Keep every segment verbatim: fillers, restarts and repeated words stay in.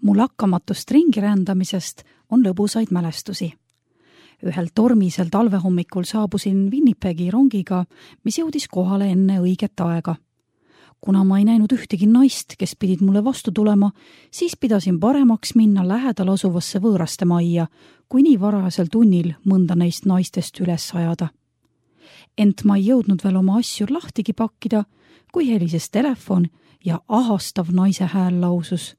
Mu lakkamatust ringi rändamisest on lõbusaid mälestusi. Ühel tormisel talvehommikul saabusin Winnipegi rongiga, mis jõudis kohale enne õiget aega. Kuna ma ei näinud ühtegi naist, kes pidid mulle vastu tulema, siis pidasin paremaks minna lähedal asuvasse võõraste majja, kui nii varajasel tunnil mõnda neist naistest üles ajada. Ent ma ei jõudnud veel oma asju lahtigi pakkida, kui helises telefon ja ahastav naise hääl lausus.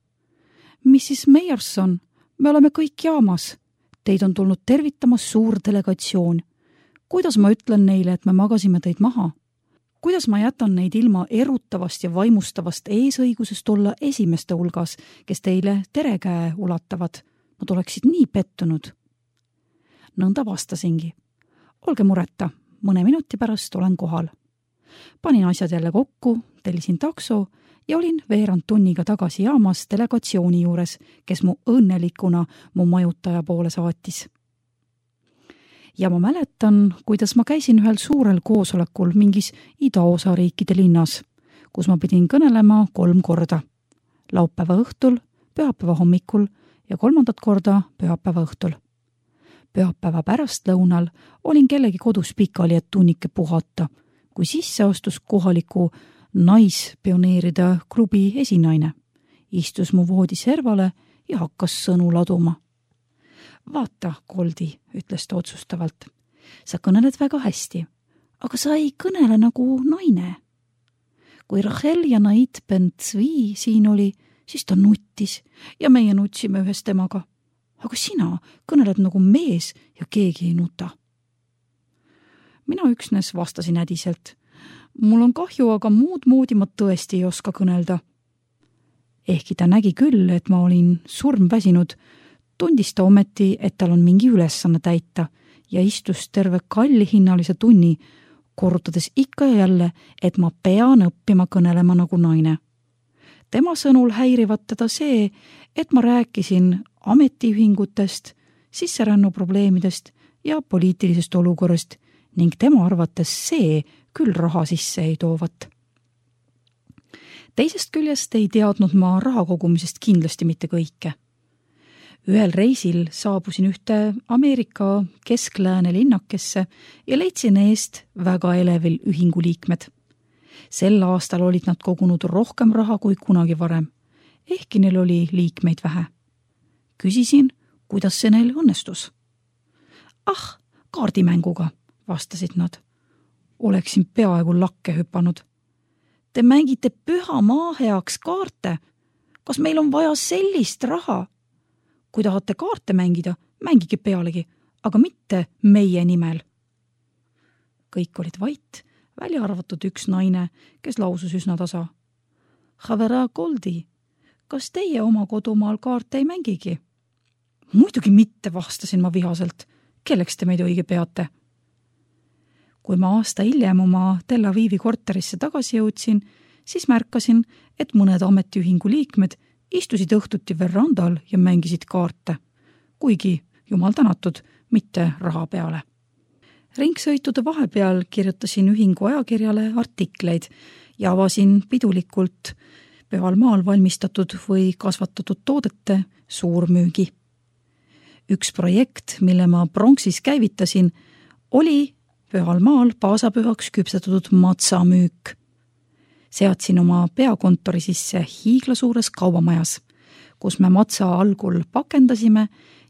missis Meyerson, me oleme kõik jaamas. Teid on tulnud tervitamas suur delegatsioon. Kuidas ma ütlen neile, et me magasime teid maha? Kuidas ma jätan neid ilma erutavast ja vaimustavast eesõigusest olla esimeste hulgas, kes teile terekäe ulatavad? Nad oleksid nii pettunud. Nõnda vastasingi. Olge mureta, mõne minuti pärast olen kohal. Panin asjad jälle kokku, tellisin takso ja olin veerand tunniga tagasi jaamas delegatsiooni juures, kes mu õnnelikuna mu majutaja poole saatis. Ja ma mäletan, kuidas ma käisin ühel suurel koosolekul mingis idaosa riikide linnas, kus ma pidin kõnelema kolm korda. Laupäeva õhtul, pühapäeva hommikul ja kolmandat korda pühapäeva õhtul. Pühapäeva pärastlõunal olin kellegi kodus pikali, et tunnike puhata, kui sisse astus kohaliku naispioneeride klubi esinaine. Istus mu voodi servale ja hakkas sõnu laduma. Vaata, Goldi, ütles ta otsustavalt. Sa kõneled väga hästi, aga sa ei kõnele nagu naine. Kui Rachel ja Nait Ben-Tzvi siin oli, siis ta nuttis ja meie nutsime ühes temaga. Aga sina kõneled nagu mees ja keegi ei nuta. Mina üksnes vastasin ädiselt. Mul on kahju, aga muud moodi ma tõesti ei oska kõnelda. Ehkki ta nägi küll, et ma olin surmväsinud, tundis ta ometi, et tal on mingi ülesanne täita ja istus terve kallihinnalise tunni, korrutades ikka ja jälle, et ma pean õppima kõnelema nagu naine. Tema sõnul häirivat teda see, et ma rääkisin ametiühingutest, sisserännu probleemidest ja poliitilisest olukorrast ning tema arvates see küll raha sisse ei toovat. Teisest küljest ei teadnud ma raha kogumisest kindlasti mitte kõike. Ühel reisil saabusin ühte Ameerika kesklääne linnakesse ja leidsin eest väga elevil ühingu liikmed. Sel aastal olid nad kogunud rohkem raha kui kunagi varem, ehkki neil oli liikmeid vähe. Küsisin, kuidas see neil õnnestus. Ah, kaardimänguga, vastasid nad. Oleksin peaaegu lakke hüpanud. Te mängite püha maa heaks kaarte. Kas meil on vaja sellist raha? Kui tahate kaarte mängida, mängige pealegi, aga mitte meie nimel. Kõik olid vait, välja arvatud üks naine, kes lausus üsna tasa. Havera Goldi, kas teie oma kodumaal kaarte ei mängigi? Muidugi mitte, vastasin ma vihaselt. Kelleks te meid õige peate? Kui ma aasta hiljem oma Tel Avivi korterisse tagasi jõudsin, siis märkasin, et mõned ametiühingu liikmed istusid õhtuti verandal ja mängisid kaarte, kuigi jumal tänatud, mitte raha peale. Ringsõitude vahepeal kirjutasin ühingu ajakirjale artikleid ja avasin pidulikult pühal maal valmistatud või kasvatatud toodete suurmüügi. Üks projekt, mille ma pronksis käivitasin, oli pühal maal paasapühaks küpsetatud matsamüük. Seadsin oma peakontori sisse hiiglasuures kaubamajas, kus me matsa algul pakendasime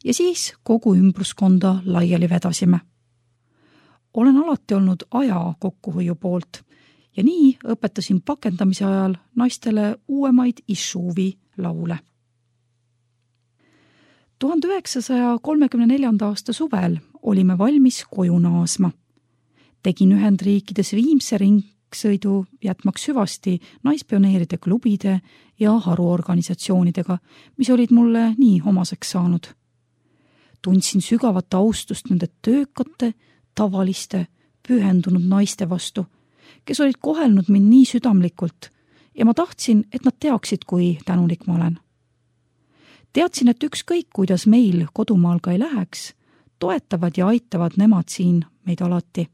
ja siis kogu ümbruskonda laiali vedasime. Olen alati olnud aja kokkuhoiu poolt ja nii õpetasin pakendamise ajal naistele uuemaid Ishuvi laule. tuhande üheksasaja kolmekümne neljanda aasta suvel olime valmis koju naasma. Tegin Ühendriikides Viimse ringsõidu jätmaks süvasti naispioneeride klubide ja haruorganisatsioonidega, mis olid mulle nii omaseks saanud. Tundsin sügavat austust nende töökate, tavaliste, pühendunud naiste vastu, kes olid kohelnud mind nii südamlikult ja ma tahtsin, et nad teaksid, kui tänulik ma olen. Teadsin, et ükskõik, kuidas meil kodumaal ka ei läheks, toetavad ja aitavad nemad siin meid alati.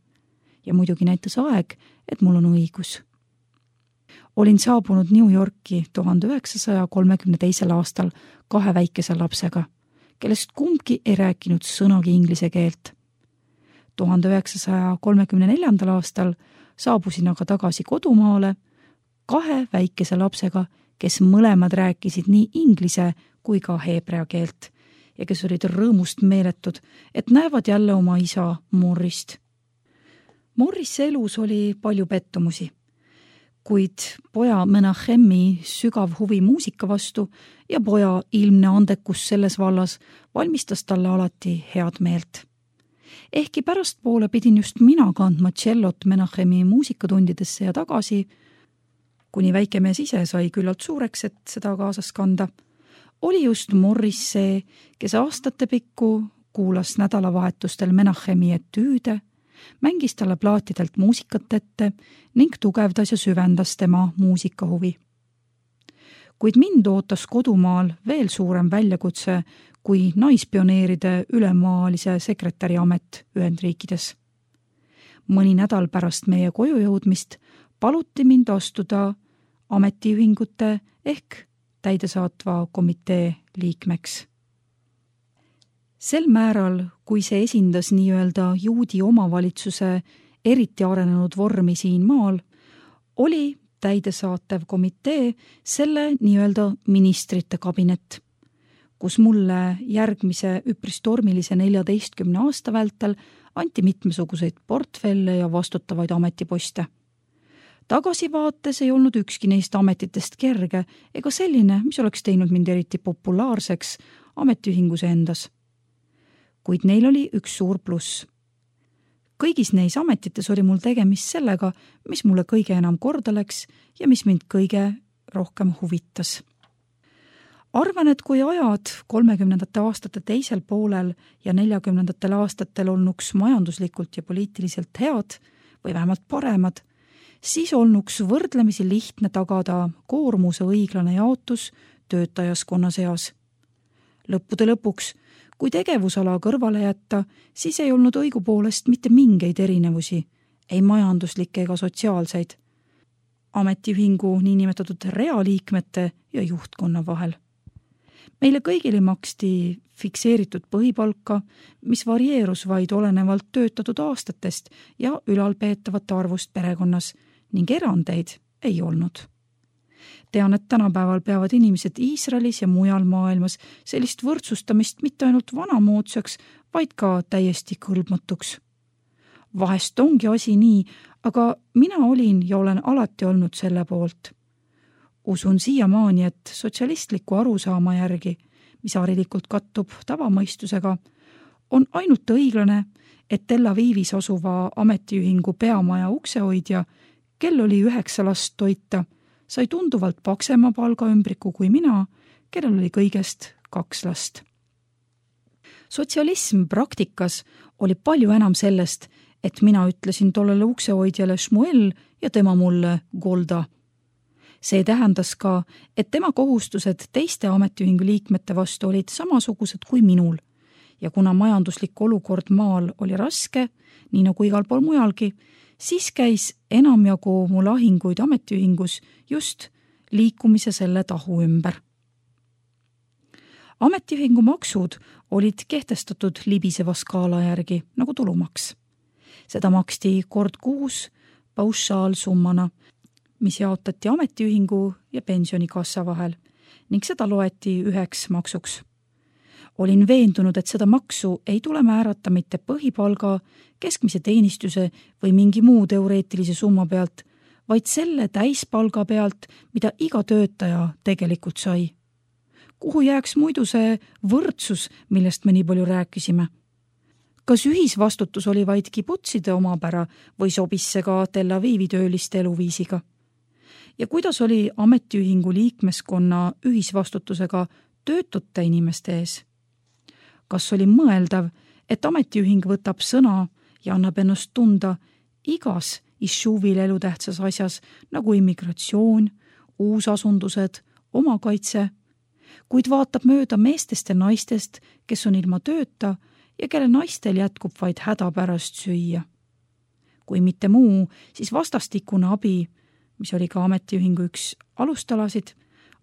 Ja muidugi näitas aeg, et mul on õigus. Olin saabunud New Yorki tuhande üheksasaja kolmekümne teisel aastal kahe väikese lapsega, kellest kumbki ei rääkinud sõnagi inglise keelt. tuhande üheksasaja kolmekümne neljandal aastal saabusin aga tagasi kodumaale kahe väikese lapsega, kes mõlemad rääkisid nii inglise kui ka heebrea keelt ja kes olid rõõmust meeletud, et näevad jälle oma isa Morrist. Morrise elus oli palju pettumusi, kuid poja Menachemi sügav huvi muusika vastu ja poja ilmne andekus selles vallas valmistas talle alati head meelt. Ehkki pärastpoole pidin just mina kandma tšellot Menachemi muusikatundidesse ja tagasi, kuni väike mees ise sai küllalt suureks, et seda kaasas kanda, oli just Morris see, kes aastate pikku kuulas nädalavahetustel Menachemi etüüde, mängis talle plaatidelt muusikat ette ning tugevdas ja süvendas tema muusikahuvi. Kuid mind ootas kodumaal veel suurem väljakutse kui naispioneeride ülemaalise sekretäri amet Ühendriikides. Mõni nädal pärast meie koju jõudmist paluti mind astuda ametiühingute ehk täidesaatva komitee liikmeks. Sel määral, kui see esindas nii-öelda juudi omavalitsuse eriti arenenud vormi siin maal, oli täidesaatev komitee selle nii-öelda ministrite kabinet, kus mulle järgmise üpris tormilise neljateistkümne aasta vältel anti mitmesuguseid portfelle ja vastutavaid ametiposte. Tagasivaates ei olnud ükski neist ametitest kerge ega selline, mis oleks teinud mind eriti populaarseks ametiühingus endas. Kuid neil oli üks suur pluss. Kõigis neis ametites oli mul tegemist sellega, mis mulle kõige enam korda läks ja mis mind kõige rohkem huvitas. Arvan, et kui ajad kolmekümnendate aastate teisel poolel ja neljakümnendatel aastatel olnuks majanduslikult ja poliitiliselt head või vähemalt paremad, siis olnuks võrdlemisi lihtne tagada koormuse õiglane jaotus töötajaskonna seas. Lõppude lõpuks, kui tegevusala kõrvale jätta, siis ei olnud õigupoolest mitte mingeid erinevusi, ei majanduslikke ega sotsiaalseid, ametiühingu niinimetatud realiikmete ja juhtkonna vahel. Meile kõigile maksti fikseeritud põhipalka, mis varieerus vaid olenevalt töötatud aastatest ja ülalpeetavate arvust perekonnas ning erandeid ei olnud. Tean, et tänapäeval peavad inimesed Iisraelis ja mujal maailmas sellist võrdsustamist mitte ainult vanamoodsaks, vaid ka täiesti kõlbmatuks. Vahest ongi asi nii, aga mina olin ja olen alati olnud selle poolt. Usun siiamaani, et sotsialistliku arusaama järgi, mis harilikult kattub tavamõistusega, on ainult õiglane, et Tel Avivis asuva ametiühingu peamaja uksehoidja, kel oli üheksa last toita, sai tunduvalt paksema palgaümbriku kui mina, kellel oli kõigest kaks last. Sotsialism praktikas oli palju enam sellest, et mina ütlesin tollele uksehoidjale Shmuel ja tema mulle Golda. See tähendas ka, et tema kohustused teiste ametiühingu liikmete vastu olid samasugused kui minul ja kuna majanduslik olukord maal oli raske, nii nagu igal pool mujalgi, siis käis enamjagu mu lahinguid ametiühingus just liikumise selle tahu ümber. Ametiühingu maksud olid kehtestatud libiseva skaala järgi, nagu tulumaks. Seda maksti kord kuus paušaalsummana, mis jaotati ametiühingu ja pensionikassa vahel ning seda loeti üheks maksuks. Olin veendunud, et seda maksu ei tule määrata mitte põhipalga, keskmise teenistuse või mingi muu teoreetilise summa pealt, vaid selle täispalga pealt, mida iga töötaja tegelikult sai. Kuhu jääks muidu see võrdsus, millest me nii palju rääkisime? Kas ühisvastutus oli vaid kibutside omapära või sobis see ka Tel Avivi tööliste eluviisiga? Ja kuidas oli ametiühingu liikmeskonna ühisvastutusega töötute inimeste ees? Kas oli mõeldav, et ametiühing võtab sõna ja annab ennast tunda igas Ishuvil elutähtsas asjas nagu immigratsioon, uusasundused, omakaitse, kuid vaatab mööda meestest ja naistest, kes on ilma tööta ja kelle naistel jätkub vaid häda pärast süüa. Kui mitte muu, siis vastastikune abi, mis oli ka ametiühingu üks alustalasid,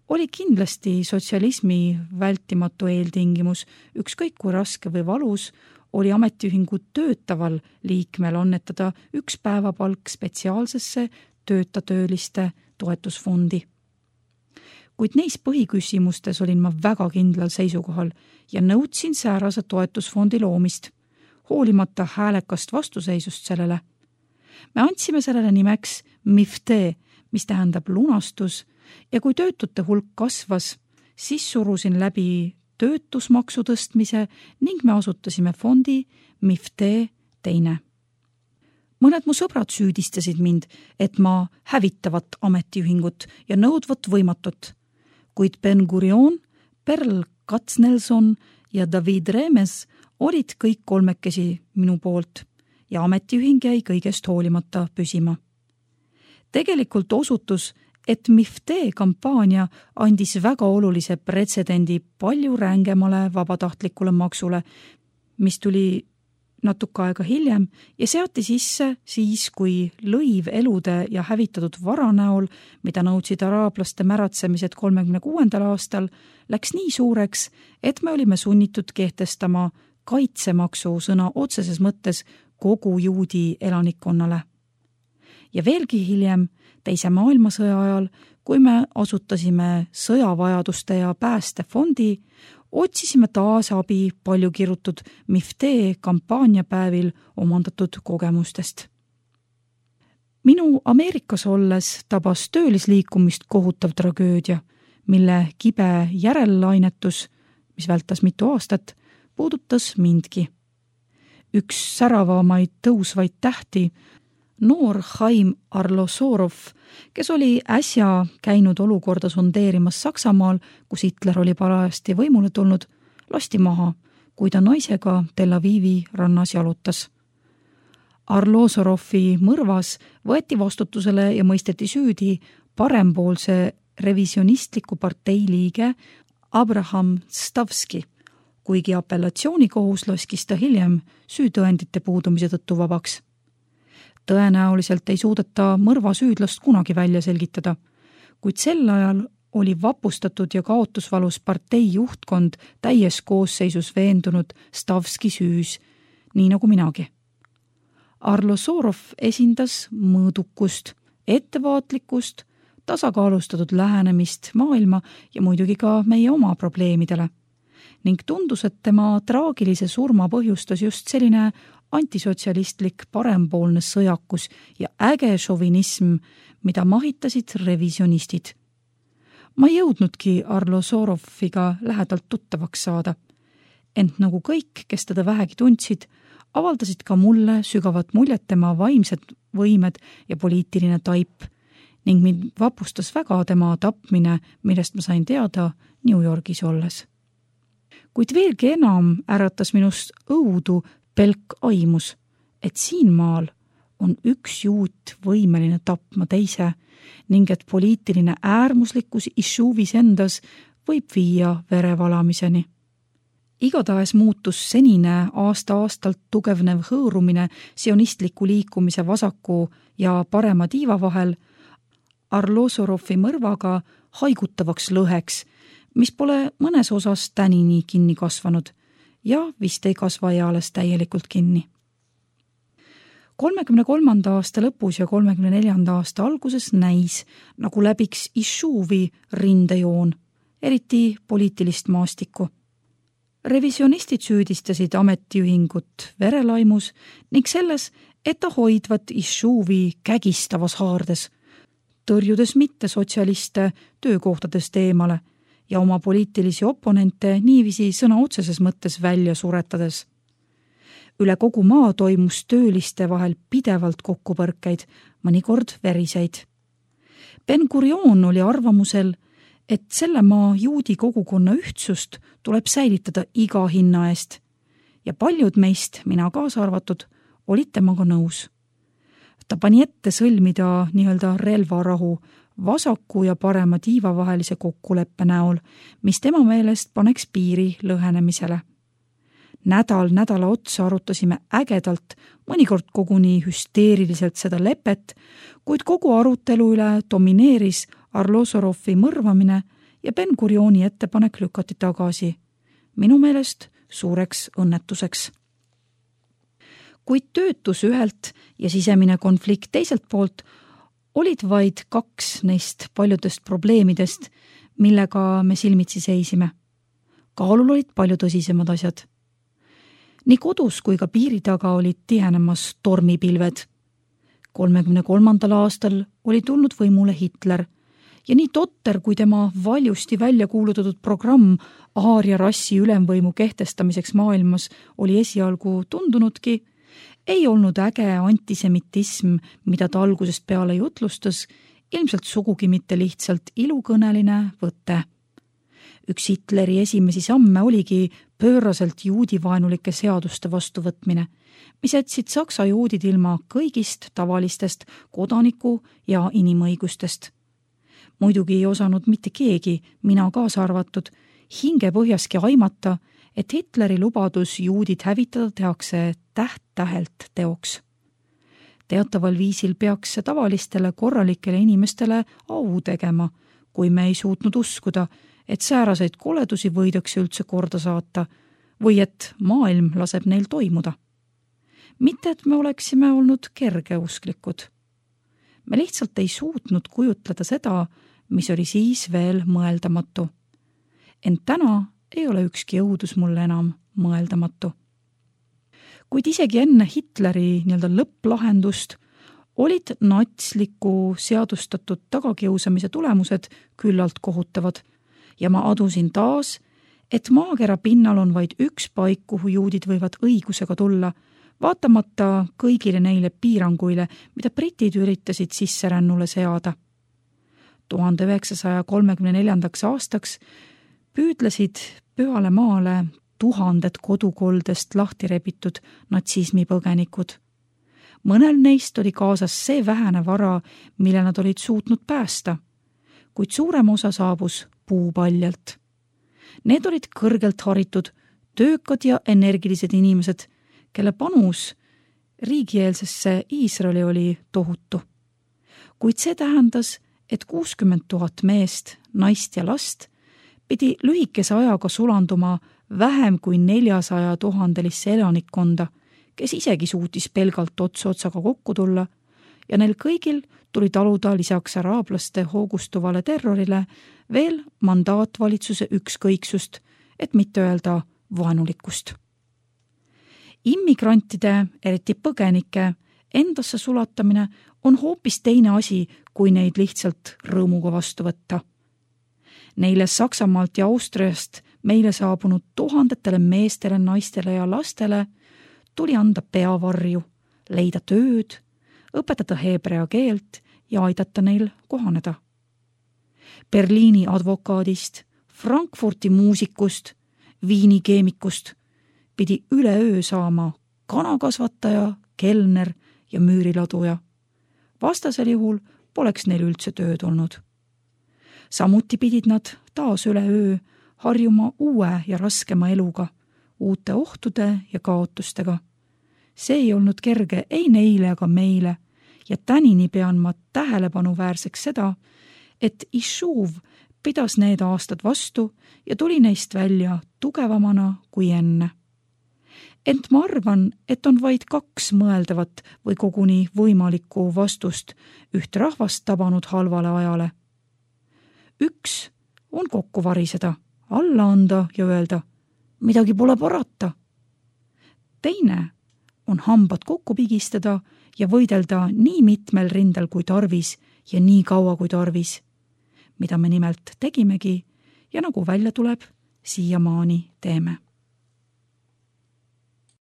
oli kindlasti sotsialismi vältimatu eeltingimus, ükskõik kui raske või valus oli ametiühingu töötaval liikmel annetada üks päevapalk spetsiaalsesse töötatööliste toetusfondi. Kuid neis põhiküsimustes olin ma väga kindlal seisukohal ja nõudsin säärase toetusfondi loomist, hoolimata häälekast vastuseisust sellele. Me andsime sellele nimeks MIFTE, mis tähendab lunastus, ja kui töötute hulk kasvas, siis surusin läbi töötusmaksu tõstmise ning me asutasime fondi MIFTE teine. Mõned mu sõbrad süüdistasid mind, et ma hävitavat ametiühingut ja nõudvat võimatut, kuid Ben-Gurion, Perl Katznelson ja David Remes olid kõik kolmekesi minu poolt ja ametiühing jäi kõigest hoolimata püsima. Tegelikult osutus, et MIFTE kampaania andis väga olulise pretsedendi palju rängemale vabatahtlikule maksule, mis tuli natuke aega hiljem ja seati sisse siis, kui lõiv elude ja hävitatud vara näol, mida nõudsid araablaste märatsemised kolmekümne kuuendal aastal, läks nii suureks, et me olime sunnitud kehtestama kaitsemaksu sõna otseses mõttes kogu juudi elanikkonnale. Ja veelgi hiljem, teise maailmasõja ajal, kui me asutasime sõjavajaduste ja päästefondi, otsisime taas abi palju kirutud MIFTE kampaaniapäevil omandatud kogemustest. Minu Ameerikas olles tabas töölisliikumist kohutav tragöödia, mille kibe järellainetus, mis vältas mitu aastat, puudutas mindki. Üks säravamaid tõusvaid tähti, noor Chaim Arlosorov, kes oli äsja käinud olukorda sondeerimas Saksamaal, kus Hitler oli parajasti võimule tulnud, lasti maha, kui ta naisega Tel Avivi rannas jalutas. Arlosorovi mõrvas võeti vastutusele ja mõisteti süüdi parempoolse revisionistliku partei liige Abraham Stavski, kuigi apellatsioonikohus laskis ta hiljem süütõendite puudumise tõttu vabaks. Tõenäoliselt ei suudeta mõrva süüdlast kunagi välja selgitada, kuid sel ajal oli vapustatud ja kaotusvalus partei juhtkond täies koosseisus veendunud Stavski süüs, nii nagu minagi. Arlosorov esindas mõõdukust, ettevaatlikkust, tasakaalustatud lähenemist maailma ja muidugi ka meie oma probleemidele, ning tundus, et tema traagilise surma põhjustas just selline antisotsialistlik parempoolne sõjakus ja äge šovinism, mida mahitasid revisionistid. Ma ei jõudnudki Arlosoroviga lähedalt tuttavaks saada, ent nagu kõik, kes teda vähegi tundsid, avaldasid ka mulle sügavat muljet tema vaimsed võimed ja poliitiline taip ning mind vapustas väga tema tapmine, millest ma sain teada New Yorgis olles. Kuid veelgi enam äratas minust õudu pelk aimus, et siin maal on üks juut võimeline tapma teise ning et poliitiline äärmuslikkus Ishuvis endas võib viia verevalamiseni. Igatahes muutus senine aasta-aastalt tugevnev hõõrumine sionistliku liikumise vasaku ja parema tiiva vahel Arlosorovi mõrvaga haigutavaks lõheks, mis pole mõnes osas tänini kinni kasvanud ja vist ei kasva eales täielikult kinni. kolmekümne kolmanda aasta lõpus ja kolmekümne neljanda aasta alguses näis, nagu läbiks Ishuvi rindejoon, eriti poliitilist maastikku. Revisionistid süüdistasid ametiühingut verelaimus ning selles, et ta hoidvat Ishuvi kägistavas haardes, tõrjudes mitte sotsialiste töökohtadest eemale ja oma poliitilisi oponente niiviisi sõna otseses mõttes välja suretades. Üle kogu maa toimus tööliste vahel pidevalt kokkupõrkeid, mõnikord veriseid. Ben-Gurion oli arvamusel, et selle maa juudi kogukonna ühtsust tuleb säilitada iga hinna eest ja paljud meist, mina kaasa arvatud, olid temaga nõus. Ta pani ette sõlmida nii-öelda relvarahu vasaku ja parema tiiva vahelise kokkuleppe näol, mis tema meelest paneks piiri lõhenemisele. nädal nädala otsa arutasime ägedalt, mõnikord koguni hüsteeriliselt seda lepet, kuid kogu arutelu üle domineeris Arlosorovi mõrvamine ja Ben-Gurioni ettepanek lükati tagasi. Minu meelest suureks õnnetuseks. Kuid töötus ühelt ja sisemine konflikt teiselt poolt olid vaid kaks neist paljudest probleemidest, millega me silmitsi seisime. Kaalul olid palju tõsisemad asjad. Nii kodus kui ka piiri taga olid tihenemas tormipilved. kolmekümne kolmandal aastal oli tulnud võimule Hitler ja nii totter kui tema valjusti välja kuulutatud programm aaria rassi ülemvõimu kehtestamiseks maailmas oli esialgu tundunudki, ei olnud äge antisemitism, mida ta algusest peale jutlustas, ilmselt sugugi mitte lihtsalt ilukõneline võte. Üks Hitleri esimesi samme oligi pööraselt juudivaenulike seaduste vastuvõtmine, mis jätsid saksa juudid ilma kõigist tavalistest kodaniku- ja inimõigustest. Muidugi ei osanud mitte keegi, mina kaasa arvatud, hingepõhjaski aimata, et Hitleri lubadus juudid hävitada tehakse täht-tähelt teoks. Teataval viisil peaks see tavalistele korralikele inimestele au tegema, kui me ei suutnud uskuda, et sääraseid koledusi võidakse üldse korda saata või et maailm laseb neil toimuda. Mitte, et me oleksime olnud kergeusklikud. Me lihtsalt ei suutnud kujutleda seda, mis oli siis veel mõeldamatu. Ent täna ei ole ükski õudus mulle enam mõeldamatu. Kuid isegi enne Hitleri nii-öelda lõpplahendust olid natsliku seadustatud tagakiusamise tulemused küllalt kohutavad ja ma adusin taas, et maakera pinnal on vaid üks paik, kuhu juudid võivad õigusega tulla, vaatamata kõigile neile piiranguile, mida britid üritasid sisserännule seada. tuhande üheksasaja kolmekümne neljandaks aastaks püüdlesid pühale maale tuhanded kodukoldest lahti rebitud natsismi põgenikud. Mõnel neist oli kaasas see vähene vara, mille nad olid suutnud päästa, kuid suurem osa saabus puupaljalt. Need olid kõrgelt haritud, töökad ja energilised inimesed, kelle panus riigieelsesse Iisraeli oli tohutu. Kuid see tähendas, et kuuskümmend tuhat meest, naist ja last pidi lühikese ajaga sulanduma vähem kui neljasaja tuhandelisse elanikkonda, kes isegi suutis pelgalt ots otsaga kokku tulla ja neil kõigil tuli taluda lisaks araablaste hoogustuvale terrorile veel mandaatvalitsuse ükskõiksust, et mitte öelda vaenulikkust. Immigrantide, eriti põgenike, endasse sulatamine on hoopis teine asi, kui neid lihtsalt rõõmuga vastu võtta. Neile Saksamaalt ja Austriast meile saabunud tuhandetele meestele, naistele ja lastele tuli anda peavarju, leida tööd, õpetada heebrea keelt ja aidata neil kohaneda. Berliini advokaadist, Frankfurti muusikust, Viini keemikust pidi üleöö saama kanakasvataja, kelner ja müüriladuja. Vastasel juhul poleks neil üldse tööd olnud. Samuti pidid nad taas üleöö harjuma uue ja raskema eluga, uute ohtude ja kaotustega. See ei olnud kerge ei neile ega meile ja tänini pean ma tähelepanuväärseks seda, et Ishuv pidas need aastad vastu ja tuli neist välja tugevamana kui enne. Ent ma arvan, et on vaid kaks mõeldavat või koguni võimalikku vastust üht rahvast tabanud halvale ajale. Üks on kokku variseda, alla anda ja öelda, midagi pole parata. Teine on hambad kokku pigistada ja võidelda nii mitmel rindel kui tarvis ja nii kaua kui tarvis, mida me nimelt tegimegi ja nagu välja tuleb, siiamaani teeme.